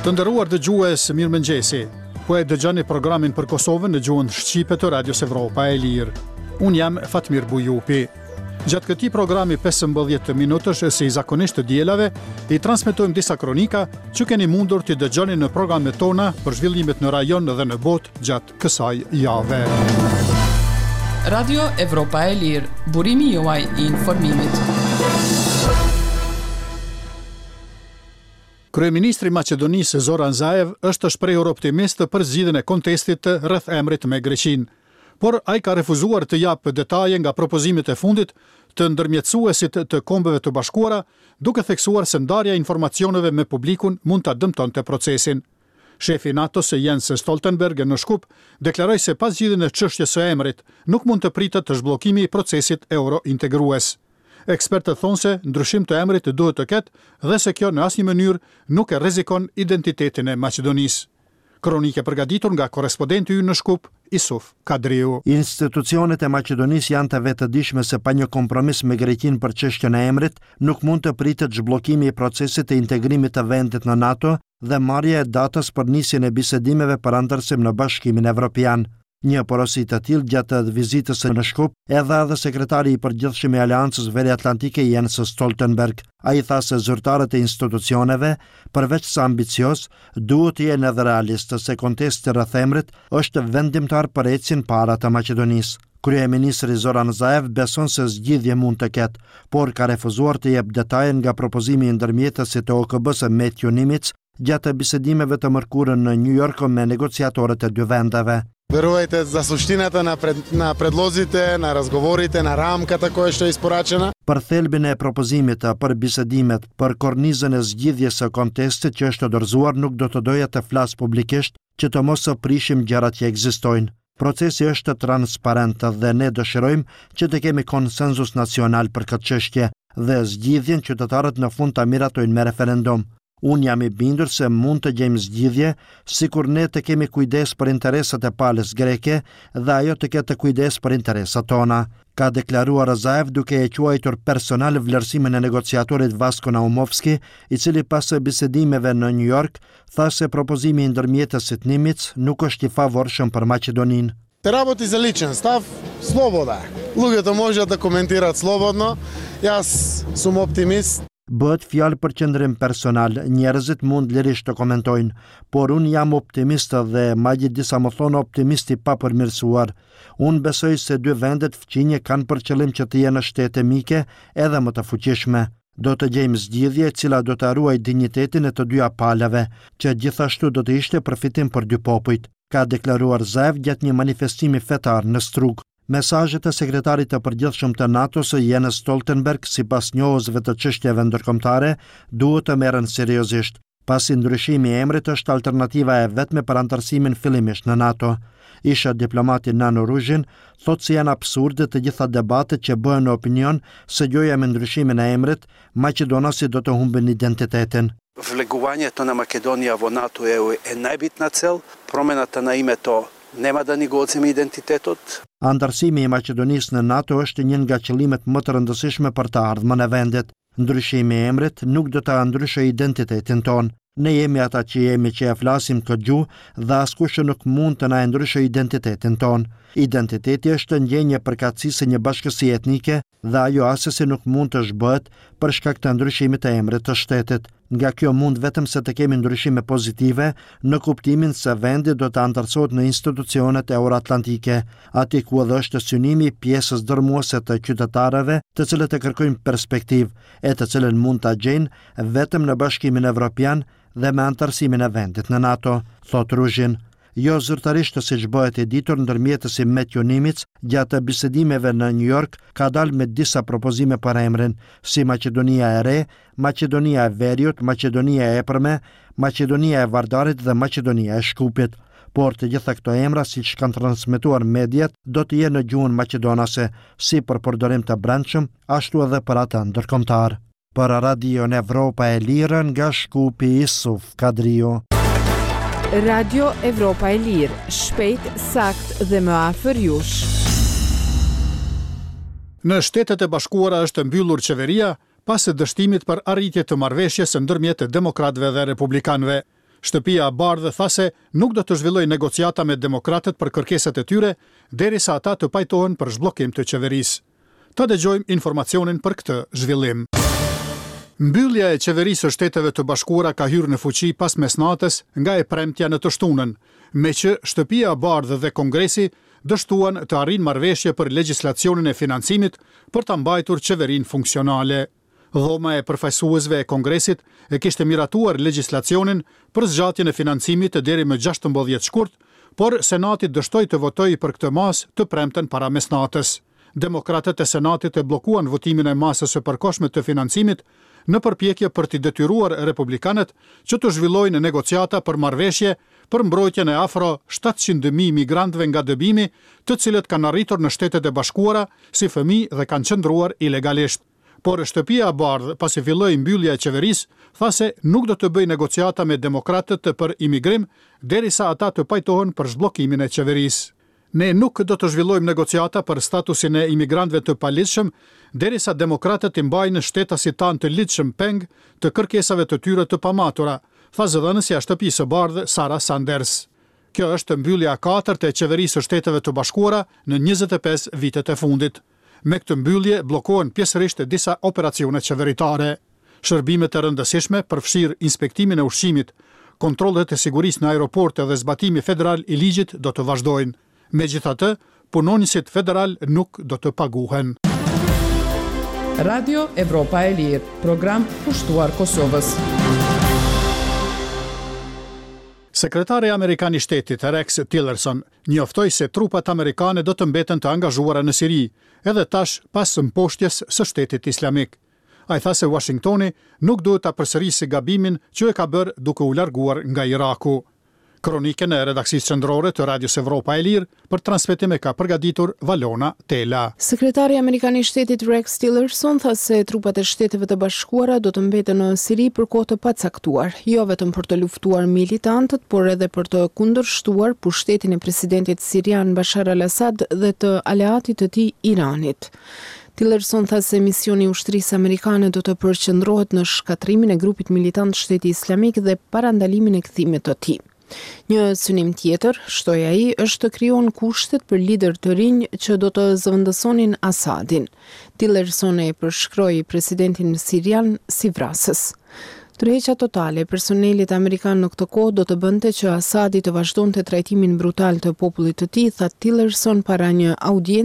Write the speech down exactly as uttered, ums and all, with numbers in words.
Të nderuar dëgjues, mirëmëngjesi. Po e dëgjoni programin për Kosovën në gjuhën shqipe të Radios Evropa e Lirë. Unë jam Fatmir Bujupi. Gjatë këtij programi pesëmbëdhjetë minutësh, si zakonisht të dielave, i transmetojmë disa kronika që keni mundur t'i dëgjoni në programet tona për zhvillimet në rajon dhe në botë gjatë kësaj jave. Radio Evropa e Lirë, burimi juaj i informimit. Kryeministri i Maqedonisë Zoran Zaev është shprehur optimist për zgjidhjen e kontestit rreth emrit me Greqinë. Por ai ka refuzuar të japë detaje nga propozimet e fundit të ndërmjetësuesit të Kombeve të Bashkuara, duke theksuar se ndarja e informacioneve me publikun mund ta dëmtonte procesin. Shefi i NATO-s Jens Stoltenberg në Shkup deklaroi se pa zgjidhjen e çështjes së emrit nuk mund të pritet të zhbllokimi i procesit eurointegrues. Ekspertët thonë se ndryshim të emrit duhet të ketë dhe se kjo në asnjë mënyrë nuk e rrezikon identitetin e Maqedonisë. Kronikë e përgatitur nga korrespondenti ynë në Shkup, Isuf Kadriu. Institucionet e Maqedonisë janë të vetëdijshme se pa një kompromis me Greqinë për çështjen e emrit, nuk mund të pritet zhbllokimi i procesit të integrimit të vendit në NATO dhe marrja e datës për nisjen e bisedimeve për anëtarësim në Bashkimin Evropian. Një porosi të tillë gjatë vizitës në Shkup e dha edhe sekretari i përgjithshëm i Aleancës Veriatlantike Jens Stoltenberg. Ai tha se zyrtarët e institucioneve, përveç se ambicioz, duhet të jenë edhe realistë se kontesti rreth emrit është vendimtar për ecjen para të Maqedonisë. Kryeministri Zoran Zaev beson se zgjidhje mund të ketë, por ka refuzuar të jep detaje nga propozimi i ndërmjetësit të O K B-së Matthew Nimitz gjatë bisedimeve të mërkurën në New York me negociatorët e dy vendeve. Верувајте, за суштината на пред, на предлозите, на разговорите, на рамката која што е испорачена. Për thelbin e propozimit, për bisedimet, për kornizën e zgjidhjes së kontestit që është dorëzuar, nuk do të doja të flas publikisht që të mos prishim gjërat që ekzistojnë. Procesi është transparent dhe ne dëshirojmë që të kemi konsensus nacional për këtë çështje dhe zgjidhjen qytetarët në fund ta miratojnë me referendum. Unë jam i bindur se mund të gjejmë zgjidhje sikur ne të kemi kujdes për interesat e palës greke dhe ajo të ketë kujdes për interesat tona, ka deklaruar Zaev duke e quajtur personal vlerësimin e negociatorit Vasko Naumovski, i cili pas bisedimeve në New York tha se propozimi i ndërmjetësit Nimitz nuk është i favorshëm për Maqedoninë. Се работи за личен став, слобода е. Луѓето може да коментираат слободно. Јас сум оптимист. Bëhet fjalë për qëndrim personal, njerëzit mund lirisht të komentojnë, por unë jam optimist dhe madje disa më thonë optimist i papërmirësuar. Unë besoj se dy vendet fqinje kanë për qëllim që të jenë shtete mike edhe më të fuqishme. Do të gjejmë zgjidhje e cila do të ruajë dinjitetin e të dyja palëve, që gjithashtu do të ishte përfitim për dy popujt, ka deklaruar Zaev gjatë një manifestimi fetar në Strug. Mesazhet e sekretarit të përgjithshëm të NATO-s Jens Stoltenberg, sipas njohësve të çështjeve ndërkombëtare, duhet të merren seriozisht, pasi ndryshimi i emrit është alternativa e vetme për antarësimin fillimisht në NATO. Isha diplomati Nano Ruzhin thotë se janë absurde të gjitha debatet që bëhen në opinion se gjoja me ndryshimin e emrit, maqedonasit do të humbin identitetin. Влегувањето на Македонија во НАТО е е најбитна цел, промената на името нема да ни го одземе идентитетот. Antarësimi i Maqedonisë në NATO është një nga qëllimet më të rëndësishme për të ardhmen e vendit. Ndryshimi i emrit nuk do ta ndryshojë identitetin tonë. Ne jemi ata që jemi që e flasim këtë gjuhë dhe askush nuk mund të na e ndryshojë identitetin tonë. Identiteti është ndjenjë e përkatësisë së një bashkësie etnike dhe ajo asesi nuk mund të zhbëhet për shkak të ndryshimit të emrit të shtetit. Nga kjo mund vetëm se të kemi ndryshime pozitive në kuptimin se vendi do të antarësohet në institucionet euroatlantike, aty ku edhe është synimi i pjesës dërmuese të qytetarëve, të cilët e kërkojnë perspektivë, e të cilën mund ta gjejnë vetëm në Bashkimin Evropian dhe me antarësimin e vendit në NATO, thot Ruzhin. Jo zyrtarisht siç bëhet e ditur, ndërmjetësi Matthew Nimitz gjatë bisedimeve në New York ka dalë me disa propozime për emrin, si Maqedonia e Re, Maqedonia e Veriut, Maqedonia e Epërme, Maqedonia e Vardarit dhe Maqedonia e Shkupit. Por të gjitha këto emra, siç kanë transmetuar mediat, do të jenë në gjuhën maqedonase, si për përdorim të brendshëm, ashtu edhe për atë ndërkombëtar. Për Radion Evropa e Lirë nga Shkupi, Isuf Kadriu. Radio Evropa e Lirë, shpejt, sakt dhe më afër jush. Në Shtetet e Bashkuara është mbyllur qeveria pas dështimit për arritje të marrëveshjes ndërmjet demokratëve dhe republikanëve. Shtëpia e Bardhë tha se nuk do të zhvillojë negociata me demokratët për kërkesat e tyre derisa ata të pajtohen për zhbllokim të qeverisë. Ta dëgjojmë informacionin për këtë zhvillim. Mbyllja e qeverisë së Shteteve të Bashkuara ka hyrë në fuqi pas mesnatës nga e premtja në të shtunën, me që Shtëpia e Bardhë dhe Kongresi dështuan të arrijnë marrëveshje për legjislacionin e financimit për ta mbajtur qeverinë funksionale. Dhoma e përfaqësuesve e Kongresit e kishte miratuar legjislacionin për zgjatjen e financimit deri më gjashtëmbëdhjetë shkurt, por Senati dështoi të votojë për këtë masë të premten para mesnatës. Demokratët e Senatit e bllokuan votimin e masës së përkohshme të financimit në përpjekje për t'i detyruar republikanët që të zhvillojnë negociata për marrëveshje për mbrojtjen e afro shtatëqind mijë migrantëve nga dëbimi, të cilët kanë arritur në Shtetet e Bashkuara si fëmijë dhe kanë qëndruar ilegalisht. Por Shtëpia e Bardhë, pasi filloi mbyllja e qeverisë, tha se nuk do të bëjë negociata me demokratët për imigrim derisa ata të pajtohen për zhbllokimin e qeverisë. Ne nuk do të zhvillojmë negociata për statusin e imigrantëve të paligjshëm derisa demokratët i mbajnë shtetasit tanë të ligjshëm peng të kërkesave të tyre të pamatura, tha zëdhënësja e Shtëpisë së Bardhë Sarah Sanders. Kjo është mbyllja e katërt e qeverisë së Shteteve të Bashkuara në njëzet e pesë vitet e fundit. Me këtë mbyllje bllokohen pjesërisht disa operacione qeveritare. Shërbimet e rëndësishme, përfshirë inspektimin e ushqimit, kontrollet e sigurisë në aeroporte dhe zbatimi federal i ligjit do të vazhdojnë. Megjithatë, punonjësit federal nuk do të paguhen. Radio Evropa e Lirë, program kushtuar Kosovës. Sekretari amerikan i shtetit Rex Tillerson njoftoi se trupat amerikane do të mbeten të angazhuara në Siri, edhe tash pas mposhtjes së shtetit islamik. Ai tha se Washingtoni nuk duhet ta përsërisë gabimin që e ka bërë duke u larguar nga Iraku. Kronikën e redaksisë qendrore të Radios Evropa e Lirë për transmetim e ka përgatitur Valona Tela. Sekretari amerikan i shtetit Rex Tillerson tha se trupat e Shteteve të Bashkuara do të mbeten në Siri për kohë të pacaktuar, jo vetëm për të luftuar militantët, por edhe për të kundërshtuar pushtetin e presidentit sirian Bashar al-Assad dhe të aleatit të tij Iranit. Tillerson tha se misioni i ushtrisë amerikane do të përqendrohet në shkatërrimin e grupit militant Shteti Islamik dhe parandalimin e kthimit të tij. Një synim tjetër, shtoi ai, është të krijohen kushtet për lider të rinj që do të zëvendësonin Assadin. Tillerson e përshkroi presidentin sirian si vrasës. Tërheqja totale e personelit amerikan në këtë kohë do të bënte që Assadi të vazhdonte trajtimin brutal të popullit të tij, tha Tillerson para një audience